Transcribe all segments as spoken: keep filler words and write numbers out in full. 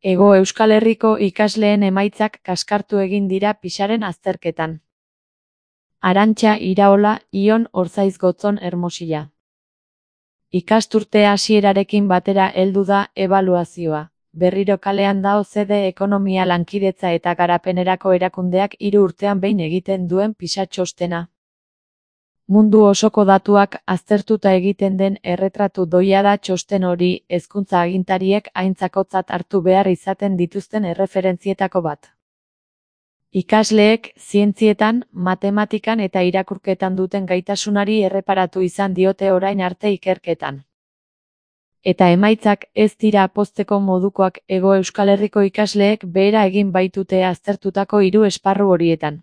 Hego Euskal Herriko ikasleen emaitzak kaskartu egin dira PISAren azterketan. Arantxa Iraola, Ion Orzaiz Gotzon Hermosilla. Ikasturte hasierarekin batera heldu da ebaluazioa. Berriro kalean dao zede ekonomia lankidetza eta garapenerako erakundeak hiru urtean behin egiten duen PISA txostena. Mundu osoko datuak aztertuta egiten den erretratu doia da txosten hori, hezkuntza agintariek aintzakotzat hartu behar izaten dituzten erreferentzietako bat. Ikasleek zientzietan, matematikan eta irakurketan duten gaitasunari erreparatu izan diote orain arte ikerketan. Eta emaitzak ez dira pozteko modukoak Hego Euskal Herriko ikasleek behera egin baitute aztertutako hiru esparru horietan.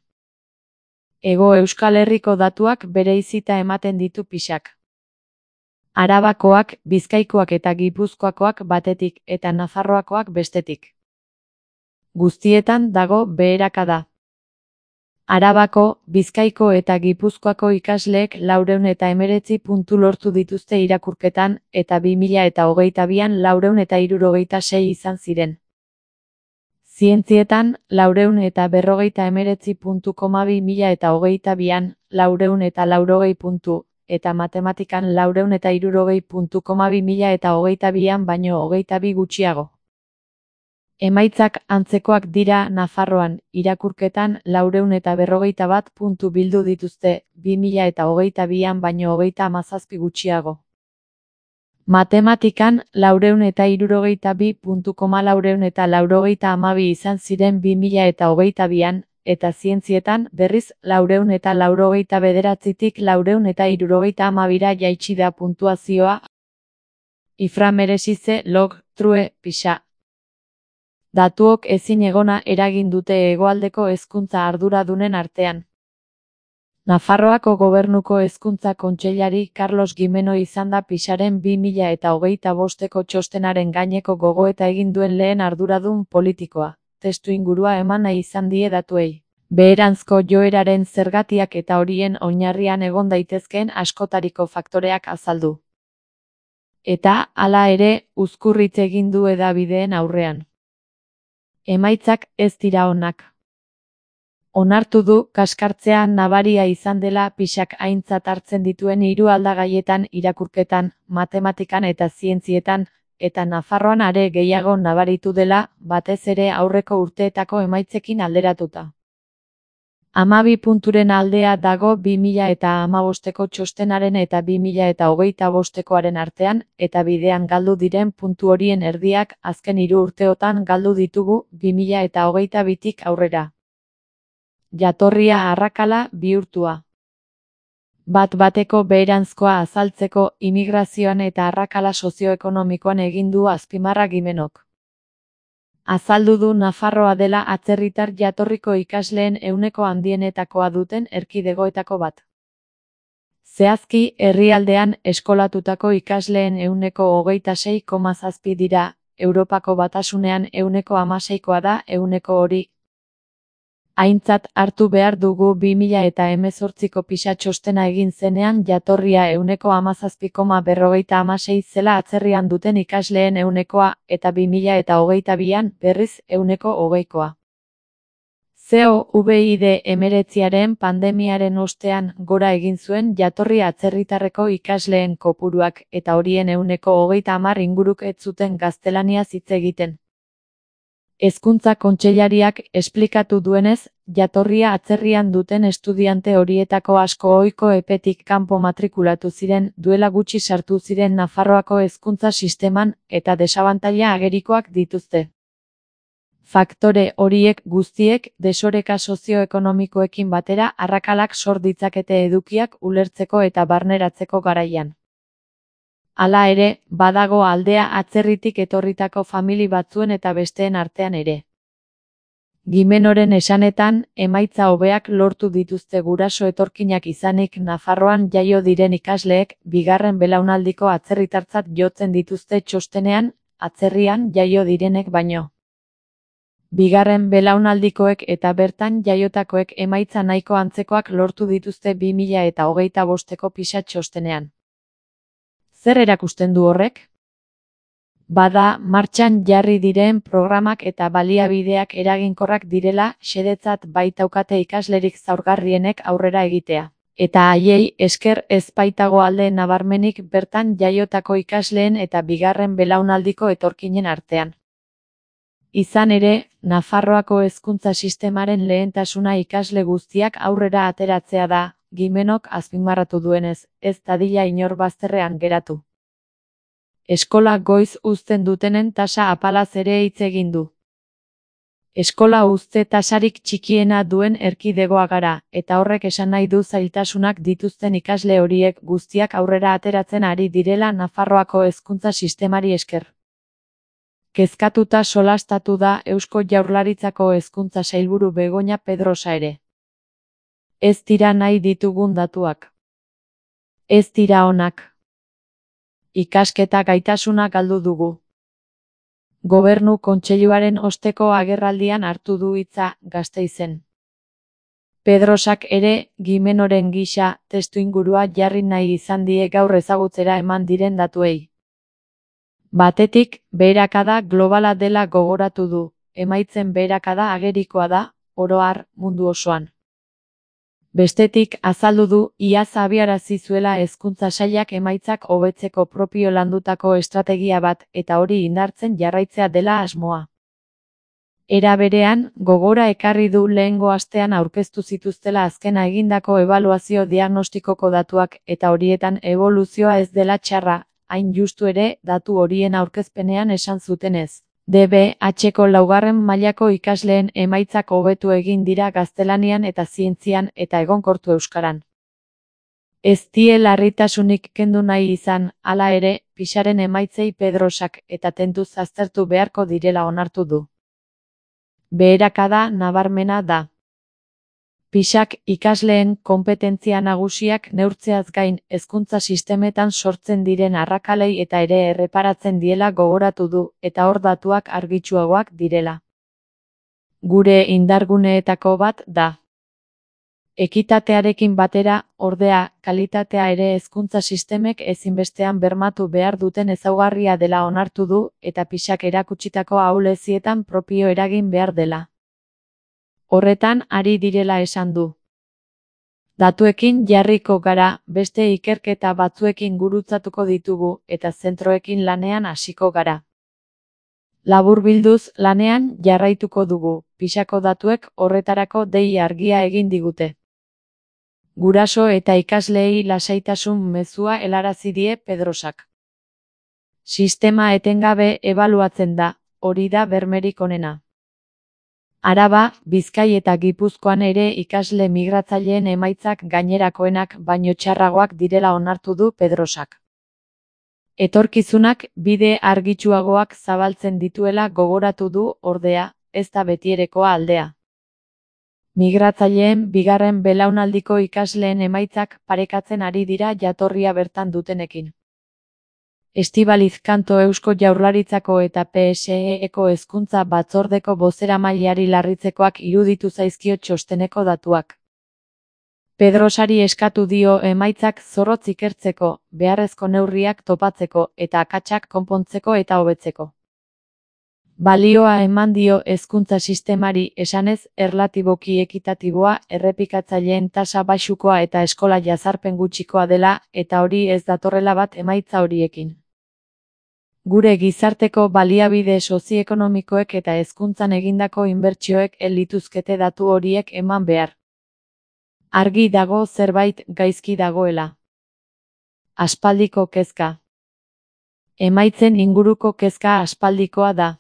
Hego Euskal Herriko datuak bereizita ematen ditu PISAk. Arabakoak, Bizkaikoak eta Gipuzkoakoak batetik eta Nafarroakoak bestetik. Guztietan dago beherakada. Arabako, Bizkaiko eta Gipuzkoako ikasleek laurehun eta hemeretzi puntu lortu dituzte irakurketan eta bi mila eta hogeita bian laurehun eta hirurogeita sei izan ziren. Zientzietan, laurehun eta berrogeita hemeretzi puntu koma bi mila eta hogeita bian, laurehun eta laurogei puntu, eta matematikan laurehun eta hirurogei puntu koma bi mila eta hogeita bian baino hogeita bi gutxiago. Emaitzak antzekoak dira Nafarroan, irakurketan laurehun eta berrogeita bat puntu bildu dituzte, bi mila eta hogeita bian baino hogeita hamazazpi gutxiago. Matematikan, laurehun eta hirurogeita bi puntu laurehun eta laurogeita hamabi izan ziren bi mila eta hogeita bian, eta zientzietan, berriz, laurehun eta laurogeita bederatzitik laurehun eta hirurogeita hamabira jaitsi da puntuazioa. Ifra meresize, log, true, PISA. Datuok ezin egona eragin dute hegoaldeko hezkuntza arduradunen artean. Nafarroako Gobernuko Hezkuntza Kontseilari Carlos Gimeno izan da PISAren bi mila eta hogeita bosteko txostenaren gaineko gogoeta egin duen lehen arduradun politikoa. Testu ingurua eman nahi izan die datuei. Beheranzko joeraren zergatiak eta horien oinarrian egon daitezkeen askotariko faktoreak azaldu. Eta, hala ere, uzkurritz egin du hedabideen aurrean. Emaitzak ez dira onak. Onartu du kaskartzea nabaria izan dela PISAk aintzat hartzen dituen hiru aldagaietan irakurketan, matematikan eta zientzietan, eta Nafarroan are gehiago nabaritu dela, batez ere aurreko urteetako emaitzekin alderatuta. Hamabi punturen aldea dago bi mila eta hamabosteko txostenaren eta bi mila eta hogeita bostekoaren artean, eta bidean galdu diren puntu horien erdiak azken hiru urteotan galdu ditugu bi mila eta hogeita bitik aurrera. Jatorria arrakala bihurtua. Bat bateko beheranzkoa azaltzeko imigrazioan eta arrakala sozioekonomikoan egin du azpimarra Gimenok. Azaldu du Nafarroa dela atzerritar jatorriko ikasleen ehuneko handienetakoa duten erkidegoetako bat. Zehazki, herrialdean eskolatutako ikasleen ehuneko hogeita sei koma zazpi dira, Europako Batasunean ehuneko hamaseikoa da ehuneko hori. Aintzat hartu behar dugu bi mila eta hemezortziko PISA txostena egin zenean jatorria ehuneko hamazazpi koma berrogeita hamasei zela atzerrian duten ikasleen ehunekoa eta bi mila eta hogeita bian berriz ehuneko hogeikoa. Covid hemeretziaren pandemiaren ostean gora egin zuen jatorri atzerritarreko ikasleen kopuruak eta horien ehuneko hogeita hamar inguruk ez zuten gaztelaniaz hitz egiten. Hezkuntza Kontseilariak esplikatu duenez, jatorria atzerrian duten estudiante horietako asko ohiko epetik kanpo matrikulatu ziren, duela gutxi sartu ziren Nafarroako hezkuntza sisteman eta desabantaila agerikoak dituzte. Faktore horiek guztiek desoreka sozioekonomikoekin batera arrakalak sor ditzakete edukiak ulertzeko eta barneratzeko garaian. Hala ere, badago aldea atzerritik etorritako famili batzuen eta besteen artean ere. Gimenoren esanetan, emaitza hobeak lortu dituzte guraso etorkinak izanik Nafarroan jaio diren ikasleek, bigarren belaunaldiko atzerritartzat jotzen dituzte txostenean, atzerrian jaio direnek baino. Bigarren belaunaldikoek eta bertan jaiotakoek emaitza nahiko antzekoak lortu dituzte bi mila eta hogeita bosteko PISA txostenean. Zer erakusten du horrek? Bada, martxan jarri diren programak eta baliabideak eraginkorrak direla xedetzat baitaukate ikaslerik zaurgarrienek aurrera egitea. Eta haiei esker ez baitago alde nabarmenik bertan jaiotako ikasleen eta bigarren belaunaldiko etorkinen artean. Izan ere, Nafarroako hezkuntza sistemaren lehentasuna ikasle guztiak aurrera ateratzea da, Gimenok azpimarratu duenez, ez dadila inor bazterrean geratu. Eskola goiz uzten dutenen tasa apalaz ere hitz egin du. Eskola uzte tasarik txikiena duen erkidegoa gara, eta horrek esan nahi du zailtasunak dituzten ikasle horiek guztiak aurrera ateratzen ari direla Nafarroako hezkuntza sistemari esker. Kezkatuta solastatu da Eusko Jaurlaritzako hezkuntza sailburu Begoña Pedrosa ere. Ez dira nahi ditugun datuak. Ez dira onak. Ikasketa gaitasuna galdu dugu. Gobernu Kontseiluaren osteko agerraldian hartu du hitza Gasteizen. Pedrosak ere, Gimenoren gisa, testuingurua jarri nahi izan die gaur ezagutzera eman diren datuei. Batetik, beherakada globala dela gogoratu du, emaitzen beherakada agerikoa da, oro har, mundu osoan. Bestetik, azaldu du, iaz abiarazi zuela hezkuntza sailak emaitzak hobetzeko propio landutako estrategia bat eta hori indartzen jarraitzea dela asmoa. Era berean, gogora ekarri du lehengo astean aurkeztu zituztela azkena egindako ebaluazio diagnostikoko datuak eta horietan eboluzioa ez dela txarra, hain justu ere, datu horien aurkezpenean esan zutenez. D B H-ko laugarren mailako ikasleen emaitzak hobetu egin dira gaztelanian eta zientzian eta egonkortu euskaran. Ez die larritasunik kendu nahi izan, hala ere, Pisaren emaitzei Pedrosak eta tentuz aztertu beharko direla onartu du. Beherakada nabarmena da. Pisak ikasleen konpetentzia nagusiak neurtzeaz gain hezkuntza sistemetan sortzen diren arrakalei eta ere erreparatzen diela gogoratu du eta hor datuak argitsuagoak direla. Gure indarguneetako bat da. Ekitatearekin batera, ordea, kalitatea ere hezkuntza sistemek ezinbestean bermatu behar duten ezaugarria dela onartu du eta Pisak erakutsitako ahulezietan propio eragin behar dela. Horretan ari direla esan du. Datuekin jarriko gara, beste ikerketa batzuekin gurutzatuko ditugu eta zentroekin lanean hasiko gara. Laburbilduz, lanean jarraituko dugu, Pisako datuek horretarako dei argia egin digute. Guraso eta ikasleei lasaitasun mezua helarazi die Pedrosak. Sistema etengabe ebaluatzen da, hori da bermerik onena. Araba, Bizkai eta Gipuzkoan ere ikasle migratzaileen emaitzak gainerakoenak baino txarragoak direla onartu du Pedrosak. Etorkizunak bide argitsuagoak zabaltzen dituela gogoratu du, ordea, ez da betierekoa aldea. Migratzaileen bigarren belaunaldiko ikasleen emaitzak parekatzen ari dira jatorria bertan dutenekin. Estibaliz Kanto Eusko Jaurlaritzako eta P S E-eko hezkuntza batzordeko bozeramaileari larritzekoak iruditu zaizkio txosteneko datuak. Pedrosari eskatu dio emaitzak zorrotz ikertzeko, beharrezko neurriak topatzeko eta akatsak konpontzeko eta hobetzeko. Balioa eman dio hezkuntza sistemari esanez erlatiboki ekitatiboa, errepikatzaileen tasa baxukoa eta eskola jazarpen gutxikoa dela eta hori ez datorrela bat emaitza horiekin. Gure gizarteko baliabide sozioekonomikoek eta hezkuntzan egindako inbertsioek ez lituzkete datu horiek eman behar. Argi dago zerbait gaizki dagoela. Aspaldiko kezka. Emaitzen inguruko kezka aspaldikoa da.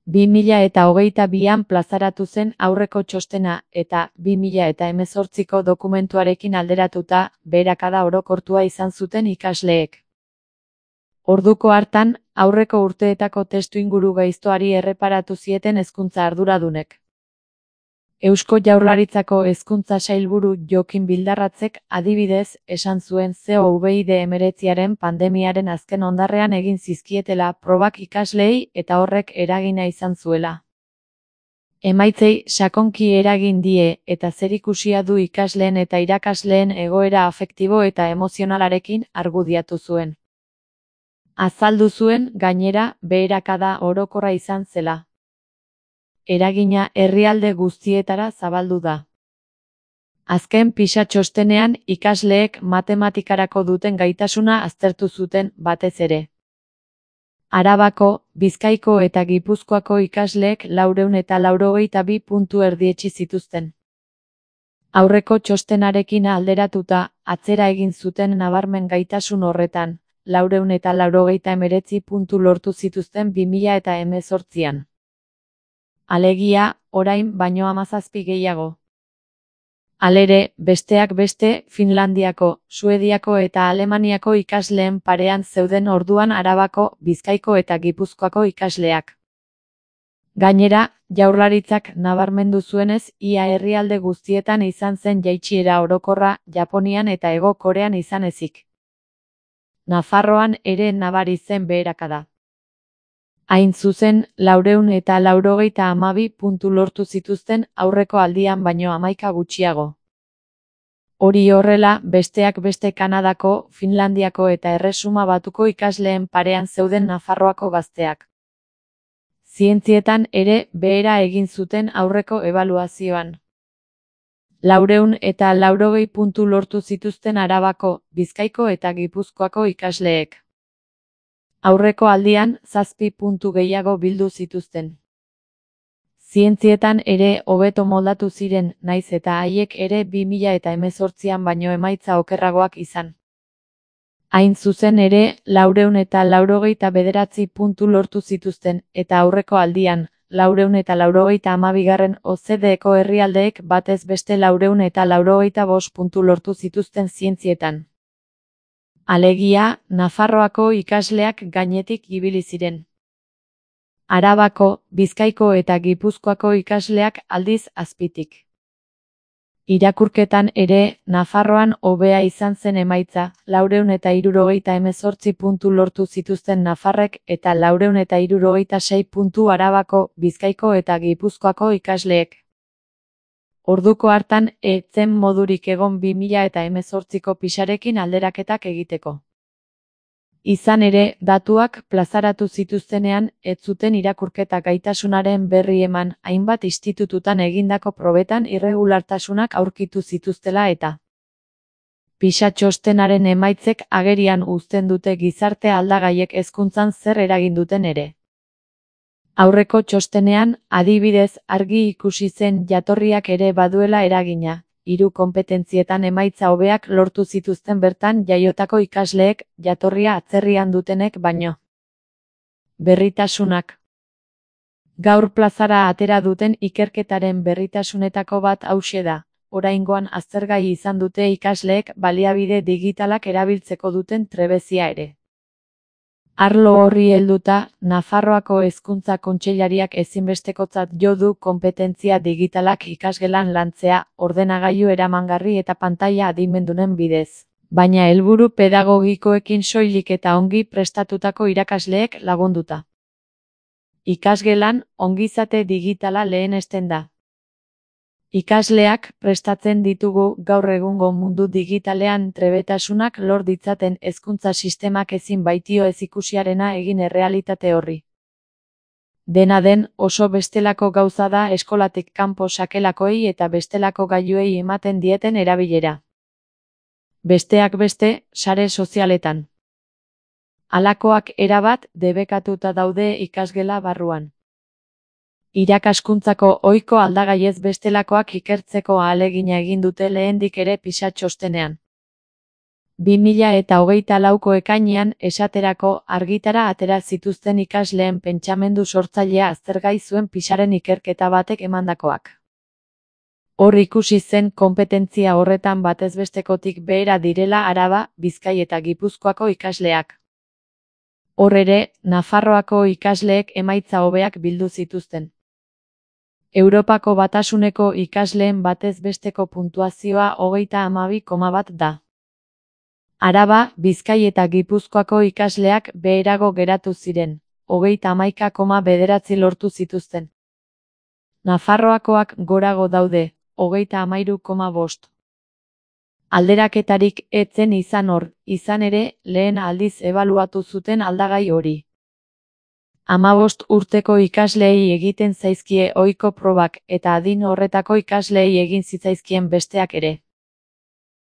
bi mila eta hogeita bian plazaratu zen aurreko txostena eta bi mila eta hemezortziko dokumentuarekin alderatuta beherakada orokortua izan zuten ikasleek. Orduko hartan, aurreko urteetako testuinguru gaiztoari erreparatu zieten hezkuntza arduradunek. Eusko Jaurlaritzako hezkuntza sailburu Jokin Bildarratzek adibidez esan zuen Covid hemeretziaren pandemiaren azken ondarrean egin zizkietela probak ikasleei eta horrek eragina izan zuela. Emaitzei sakonki eragin die eta zerikusia du ikasleen eta irakasleen egoera afektibo eta emozionalarekin argudiatu zuen. Azaldu zuen, gainera, beherakada orokorra izan zela. Eragina herrialde guztietara zabaldu da. Azken PISA txostenean ikasleek matematikarako duten gaitasuna aztertu zuten, batez ere. Arabako, Bizkaiko eta Gipuzkoako ikasleek laurehun eta laurogeita bi puntu erdietsi zituzten. Aurreko txostenarekin alderatuta, atzera egin zuten nabarmen gaitasun horretan, laurehun eta laurogeita hemeretzi puntu lortu zituzten bi mila eta hemezortzian. Alegia, orain baino hamazazpi gehiago. Halere, besteak beste, Finlandiako, Suediako eta Alemaniako ikasleen parean zeuden orduan Arabako, Bizkaiko eta Gipuzkoako ikasleak. Gainera, Jaurlaritzak nabarmendu zuenez, ia herrialde guztietan izan zen jaitsiera orokorra, Japonian eta Hego Korean izan ezik. Nafarroan ere nabari zen beherakada. Hain zuzen, laurehun eta laurogeita hamabi puntu lortu zituzten aurreko aldian baino hamaika gutxiago. Hori horrela, besteak beste Kanadako, Finlandiako eta Erresuma Batuko ikasleen parean zeuden Nafarroako gazteak. Zientzietan ere behera egin zuten aurreko ebaluazioan. Laurehun eta laurogei puntu lortu zituzten Arabako, Bizkaiko eta Gipuzkoako ikasleek. Aurreko aldian, zazpi puntu gehiago bildu zituzten. Zientzietan ere hobeto moldatu ziren, naiz eta haiek ere bi mila eta hemezortzian baino emaitza okerragoak izan. Hain zuzen ere, laurehun eta laurogeita bederatzi puntu lortu zituzten, eta aurreko aldian, laurehun eta laurogeita hamabigarren O E C D-eko herrialdeek batez beste laurehun eta laurogeita bost puntu lortu zituzten zientzietan. Alegia, Nafarroako ikasleak gainetik ibili ziren. Arabako, Bizkaiko eta Gipuzkoako ikasleak aldiz azpitik. Irakurketan ere, Nafarroan hobea izan zen emaitza, laurehun eta hirurogeita hemezortzi puntu lortu zituzten nafarrek eta laurehun eta hirurogeita sei puntu Arabako, Bizkaiko eta Gipuzkoako ikasleek. Orduko hartan, ez zen modurik egon bi mila eta hemezortziko pisarekin alderaketak egiteko. Izan ere, datuak plazaratu zituztenean, ez zuten irakurketa gaitasunaren berri eman, hainbat institututan egindako probetan irregulartasunak aurkitu zituztela eta. PISA txostenaren emaitzek agerian uzten dute gizarte aldagaiek hezkuntzan zer eragin duten ere. Aurreko txostenean, adibidez, argi ikusi zen jatorriak ere baduela eragina, hiru konpetentzietan emaitza hobeak lortu zituzten bertan jaiotako ikasleek, jatorria atzerrian dutenek baino. Berritasunak. Gaur plazara atera duten ikerketaren berritasunetako bat hauxe da, oraingoan aztergai izan dute ikasleek baliabide digitalak erabiltzeko duten trebezia ere. Arlo horri helduta, Nafarroako Hezkuntza Kontseilariak ezinbestekotzat jo du konpetentzia digitalak ikasgelan lantzea, ordenagailu eramangarri eta pantaila adimendunen bidez. Baina helburu pedagogikoekin soilik eta ongi prestatutako irakasleek lagunduta. Ikasgelan, ongizate digitala lehenesten da. Ikasleak prestatzen ditugu gaur egungo mundu digitalean trebetasunak lor ditzaten hezkuntza sistemak ezin baitio ez ikusiarena egin errealitate horri. Dena den, oso bestelako gauza da eskolatik kanpo sakelakoei eta bestelako gailuei ematen dieten erabilera. Besteak beste, sare sozialetan. Halakoak erabat debekatuta daude ikasgela barruan. Irakaskuntzako ohiko aldagaiez bestelakoak ikertzeko ahalegina egin dute lehendik ere PISA txostenean. bi mila eta hogeita lauko ekainean esaterako argitara atera zituzten ikasleen pentsamendu sortzailea aztergai zuen PISAren ikerketa batek emandakoak. Hor ikusi zen konpetentzia horretan batez bestekotik behera direla Araba, Bizkai eta Gipuzkoako ikasleak. Hor ere, Nafarroako ikasleek emaitza hobeak bildu zituzten. Europako Batasuneko ikasleen batez besteko puntuazioa hogeita hamabi koma bat da. Araba, Bizkai eta Gipuzkoako ikasleak beherago geratu ziren, hogeita hamaika koma bederatzi lortu zituzten. Nafarroakoak gorago daude, hogeita hamairu koma bost. Alderaketarik ez zen izan hor, izan ere, lehen aldiz ebaluatu zuten aldagai hori. Hamabost urteko ikasleei egiten zaizkie ohiko probak eta adin horretako ikasleei egin zitzaizkien besteak ere.